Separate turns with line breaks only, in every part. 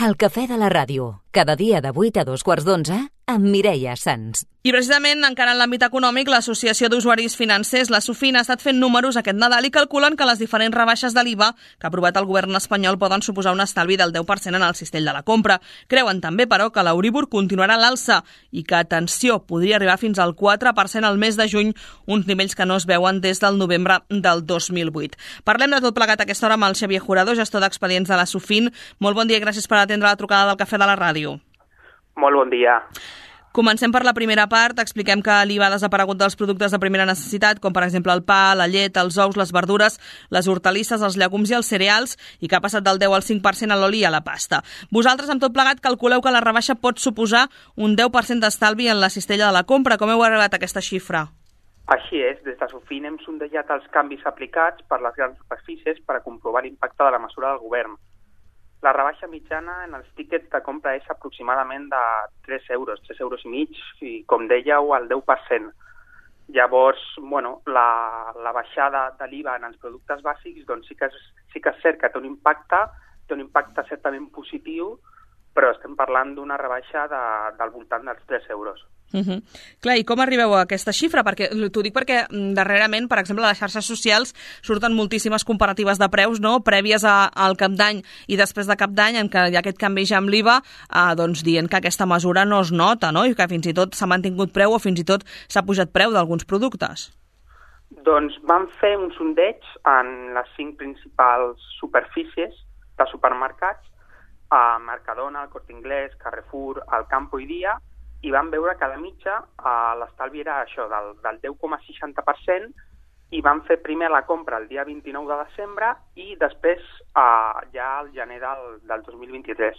El cafè de la ràdio, cada dia de 8 a 2:15, amb Mireia Sans.
I precisament, encara en l'àmbit econòmic, l'Associació d'Usuaris Financers, la SUFIN, ha estat fent números aquest Nadal i calculen que les diferents rebaixes de l'IVA que ha aprovat el govern espanyol poden suposar un estalvi del 10% en el cistell de la compra. Creuen també, però, que l'Euríbor continuarà a l'alça i que, atenció, podria arribar fins al 4% al mes de juny, uns nivells que no es veuen des del novembre del 2008. Parlem de tot plegat a aquesta hora amb el Xavier Jurado, gestor d'expedients de la SUFIN. Molt bon dia i gràcies per atendre la trucada del cafè de la ràdio.
Molt bon dia.
Comencem per la primera part. Expliquem que l'IVA ha desaparegut dels productes de primera necessitat, com per exemple el pa, la llet, els ous, les verdures, les hortalisses, els llegums i els cereals, i que ha passat del 10 al 5% a l'oli i a la pasta. Vosaltres, amb tot plegat, calculeu que la rebaixa pot suposar un 10% d'estalvi en la cistella de la compra. Com heu arribat a aquesta xifra?
Així és, des de SUFIN hem sondejat els canvis aplicats per les grans superfícies per a comprovar l'impacte de la mesura del govern. La rebaixa mitjana en els tíquets de compra és aproximadament de 3 euros, 3 euros i mig, i com dèieu, el 10%. Llavors, la baixada de l'IVA en els productes bàsics doncs sí que és cert que té un impacte certament positiu, però estem parlant d'una rebaixa del voltant dels 3 euros.
Clar, i com arribeu a aquesta xifra? T'ho dic perquè darrerament, per exemple, a les xarxes socials surten moltíssimes comparatives de preus, no?, prèvies al cap d'any i després de cap d'any, en què hi ha aquest canvi ja amb l'IVA, doncs dient que aquesta mesura no es nota, no?, i que fins i tot s'ha mantingut preu o fins i tot s'ha pujat preu d'alguns productes.
Doncs vam fer un sondeig en les 5 principals superfícies de supermercats, a Mercadona, el Corte Inglés, Carrefour, el Campo i Dia, i vam veure que a la mitja l'estalvi era això, del 10,60%, i vam fer primer la compra el dia 29 de desembre i després ja al gener del 2023.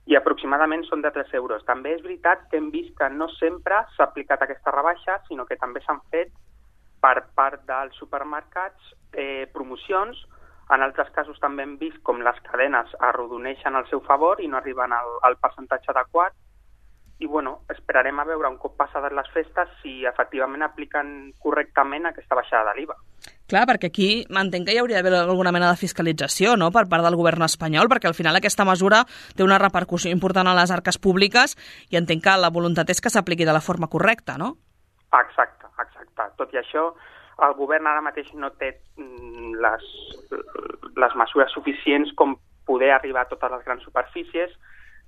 I aproximadament són de 3 euros. També és veritat que hem vist que no sempre s'ha aplicat aquesta rebaixa, sinó que també s'han fet per part dels supermercats promocions. En altres casos també hem vist com les cadenes arrodoneixen al seu favor i no arriben al percentatge adequat. I esperarem a veure un cop passades les festes si efectivament apliquen correctament aquesta baixada de l'IVA.
Clar, perquè aquí entenc que hi hauria d'haver alguna mena de fiscalització, no?, per part del govern espanyol, perquè al final aquesta mesura té una repercussió important a les arques públiques i entenc que la voluntat és que s'apliqui de la forma correcta, no?
Exacte. Tot i això, el govern ara mateix no té les mesures suficients com poder arribar a totes les grans superfícies,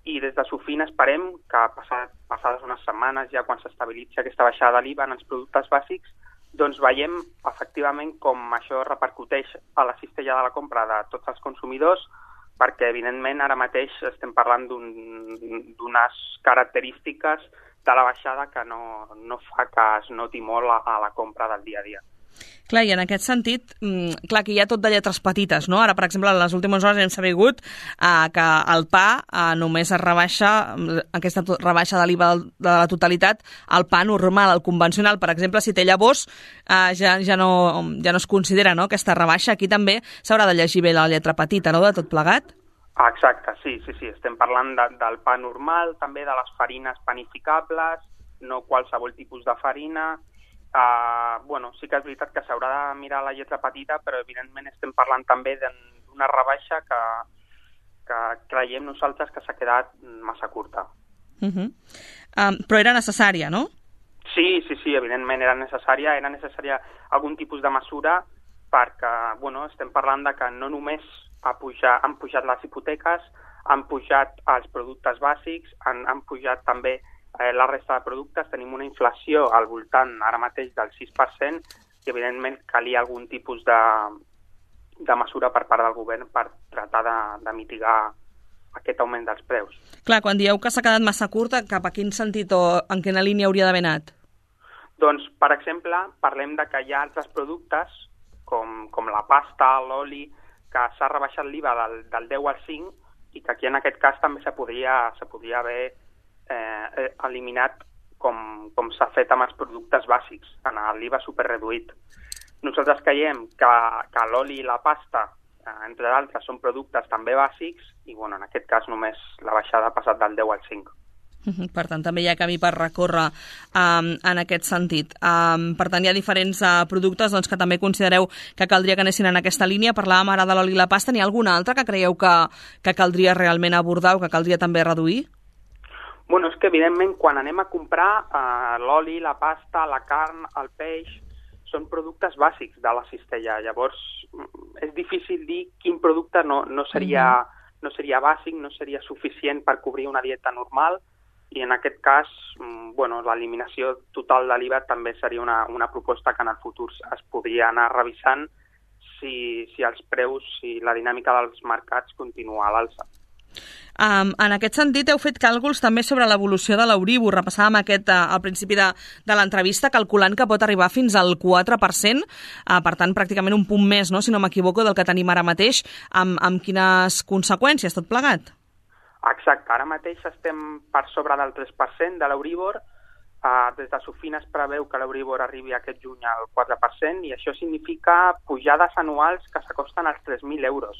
i des de SUFIN esperem que passades unes setmanes, ja quan s'estabilitzi aquesta baixada de l'IVA en els productes bàsics, doncs veiem efectivament com això repercuteix a la cistella de la compra de tots els consumidors, perquè evidentment ara mateix estem parlant d'unes característiques de la baixada que no fa que es noti molt a la compra del dia a dia.
Clar, i en aquest sentit, clar, que hi ha tot de lletres petites, no? Ara, per exemple, en les últimes hores hem sabut que el pa només es rebaixa, aquesta rebaixa de l'IVA de la totalitat, el pa normal, el convencional. Per exemple, si té llavors, ja no es considera, no?, aquesta rebaixa. Aquí també s'haurà de llegir bé la lletra petita, no?, de tot plegat.
Exacte, sí. Estem parlant del pa normal, també de les farines panificables, no qualsevol tipus de farina. Sí que és veritat que s'haurà de mirar la lletra petita, però evidentment estem parlant també d'una rebaixa que creiem nosaltres que s'ha quedat massa curta.
Però era necessària, no?
Sí, evidentment era necessària algun tipus de mesura perquè, estem parlant de que no només han pujat les hipoteques, han pujat els productes bàsics, han pujat també la resta de productes. Tenim una inflació al voltant ara mateix del 6% i evidentment calia algun tipus de mesura per part del govern per tratar de mitigar aquest augment dels preus.
Clar, quan dieu que s'ha quedat massa curta, cap a quin sentit o en quina línia hauria d'haver anat?
Doncs, per exemple, parlem de que hi ha altres productes com la pasta, l'oli, que s'ha rebaixat l'IVA del 10 al 5 i que aquí en aquest cas també se podria haver eliminat com s'ha fet amb els productes bàsics, en l'IVA superreduït. Nosaltres creiem que l'oli i la pasta, entre d'altres, són productes també bàsics i en aquest cas només la baixada ha passat del 10 al 5.
Per tant, també hi ha camí per recórrer en aquest sentit. Per tant, hi ha diferents productes que també considereu que caldria que anessin en aquesta línia. Parlàvem ara de l'oli i la pasta. N'hi ha alguna altra que creieu que caldria realment abordar o que caldria també reduir?
Bueno, és que evidentment quan anem a comprar l'oli, la pasta, la carn, el peix, són productes bàsics de la cistella. Llavors, és difícil dir quin producte no seria bàsic, no seria suficient per cobrir una dieta normal, i en aquest cas, l'eliminació total de l'IVA també seria una proposta que en el futur es podria anar revisant si els preus i la dinàmica dels mercats continua a l'alça.
En aquest sentit, heu fet càlculs també sobre l'evolució de l'Euríbor. Repassàvem al principi de l'entrevista, calculant que pot arribar fins al 4%, per tant, pràcticament un punt més, no? Si no m'equivoco, del que tenim ara mateix, amb quines conseqüències tot plegat?
Exacte, ara mateix estem per sobre del 3% de l'Euríbor. Des de Sofina es preveu que l'Euríbor arribi aquest juny al 4%, i això significa pujades anuals que s'acosten als 3.000 euros.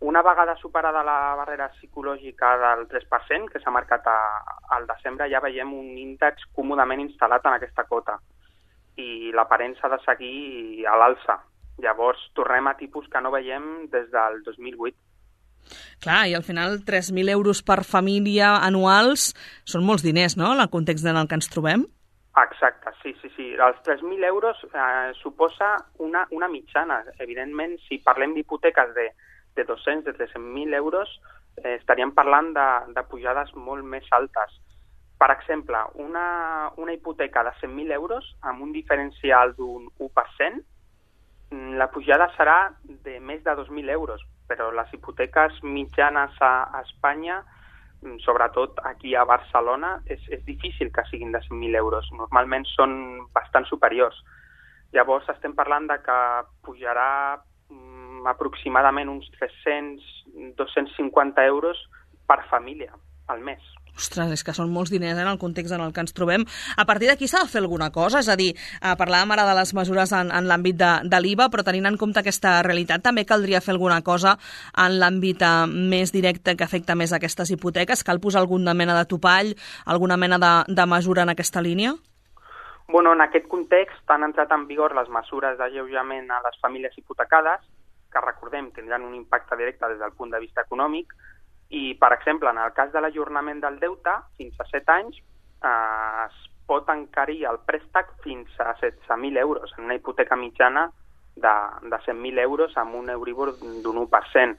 Una vegada superada la barrera psicològica del 3%, que s'ha marcat al desembre, ja veiem un índex còmodament instal·lat en aquesta cota, i l'aparença de seguir a l'alça. Llavors tornem a tipus que no veiem des del 2008.
Clar, i al final 3.000 euros per família anuals són molts diners, no?, en el context en el que ens trobem.
Exacte, sí. Els 3.000 euros suposa una mitjana. Evidentment, si parlem d'hipoteques de 200, de 300.000 euros, estaríem parlant de pujades molt més altes. Per exemple, una hipoteca de 100.000 euros amb un diferencial d'un 1%, la pujada serà de més de 2.000 euros, però les hipoteques mitjanes a Espanya, sobretot aquí a Barcelona, és difícil que siguin de 100.000 euros. Normalment són bastant superiors. Llavors estem parlant de que pujarà aproximadament uns 300-250 euros per família al mes.
Ostres, és que són molts diners en el context en el que ens trobem. A partir d'aquí s'ha de fer alguna cosa? És a dir, parlàvem ara de les mesures en l'àmbit de l'IVA, però tenint en compte aquesta realitat, també caldria fer alguna cosa en l'àmbit més directe que afecta més aquestes hipoteques? Cal posar alguna mena de topall, alguna mena de mesura en aquesta línia?
Bueno, en aquest context han entrat en vigor les mesures d'alleujament a les famílies hipotecades, que recordem tindran un impacte directe des del punt de vista econòmic, i, per exemple, en el cas de l'ajornament del deute, fins a 7 anys, es pot encarir el préstec fins a 16.000 euros, en una hipoteca mitjana de 100.000 euros amb un Euribor d'un 1%.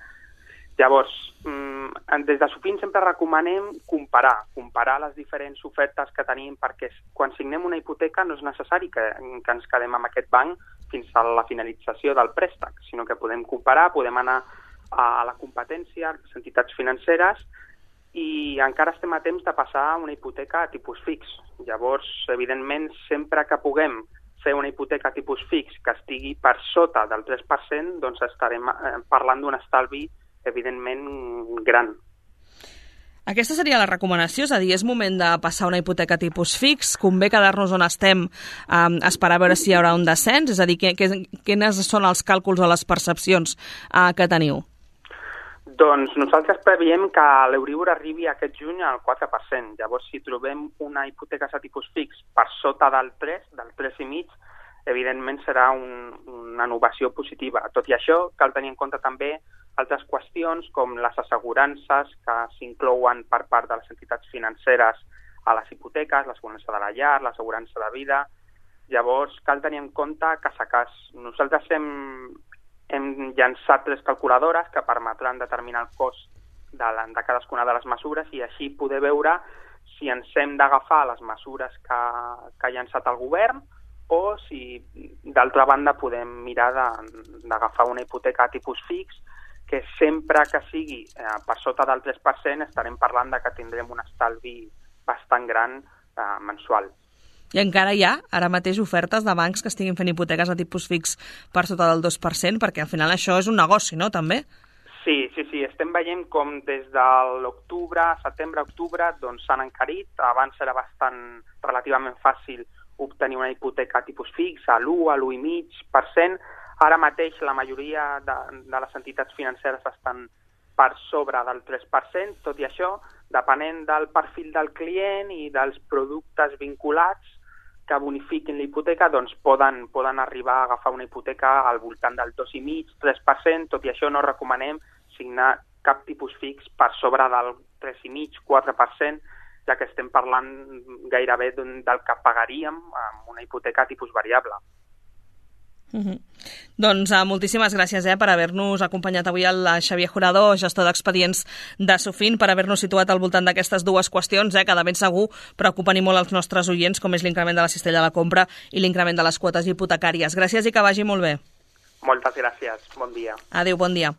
Llavors, des de Sofin sempre recomanem comparar les diferents ofertes que tenim, perquè quan signem una hipoteca no és necessari que ens quedem amb aquest banc fins a la finalització del préstec, sinó que podem comparar, podem anar a la competència, a les entitats financeres, i encara estem a temps de passar a una hipoteca a tipus fix. Llavors, evidentment, sempre que puguem fer una hipoteca a tipus fix que estigui per sota del 3%, doncs estarem parlant d'un estalvi, evidentment, gran.
Aquesta seria la recomanació, és a dir, és moment de passar una hipoteca tipus fix, convé quedar-nos on estem, esperar a veure si hi haurà un descens, és a dir, quines són els càlculs o les percepcions que teniu?
Doncs nosaltres preveiem que l'Euríbor arribi aquest juny al 4%. Llavors, si trobem una hipoteca a tipus fix per sota del 3,5, evidentment serà una innovació positiva. Tot i això, cal tenir en compte també altres qüestions com les assegurances que s'inclouen per part de les entitats financeres a les hipoteques, l'assegurança de la llar, l'assegurança de vida. Llavors, cal tenir en compte cas a cas. Nosaltres hem llançat 3 calculadores que permetran determinar el cost de cadascuna de les mesures i així poder veure si ens hem d'agafar les mesures que ha llançat el govern o si, d'altra banda, podem mirar d'agafar una hipoteca a tipus fix, que sempre que sigui per sota del 3% estarem parlant de que tindrem un estalvi bastant gran mensual.
I encara hi ha, ara mateix, ofertes de bancs que estiguin fent hipoteques a tipus fix per sota del 2%, perquè al final això és un negoci, no?, també?
Sí. Estem veient com des de l'octubre, setembre-octubre, doncs s'han encarit. Abans era relativament fàcil obtenir una hipoteca a tipus fix, a l'1, a l'1,5%. Ara mateix la majoria de les entitats financeres estan per sobre del 3%. Tot i això, depenent del perfil del client i dels productes vinculats que bonifiquin la hipoteca, doncs poden arribar a agafar una hipoteca al voltant del 2,5-3%, tot i això no recomanem signar cap tipus fix per sobre del 3,5-4%, ja que estem parlant gairebé del que pagaríem amb una hipoteca tipus variable.
Doncs moltíssimes gràcies per haver-nos acompanyat avui el Xavier Jurado, gestor d'expedients de Sofin, per haver-nos situat al voltant d'aquestes dues qüestions que de ben segur preocupen i molt els nostres oients, com és l'increment de la cistella de la compra i l'increment de les quotes hipotecàries. Gràcies i que vagi molt bé.
Moltes gràcies. Bon dia.
Adéu, bon dia.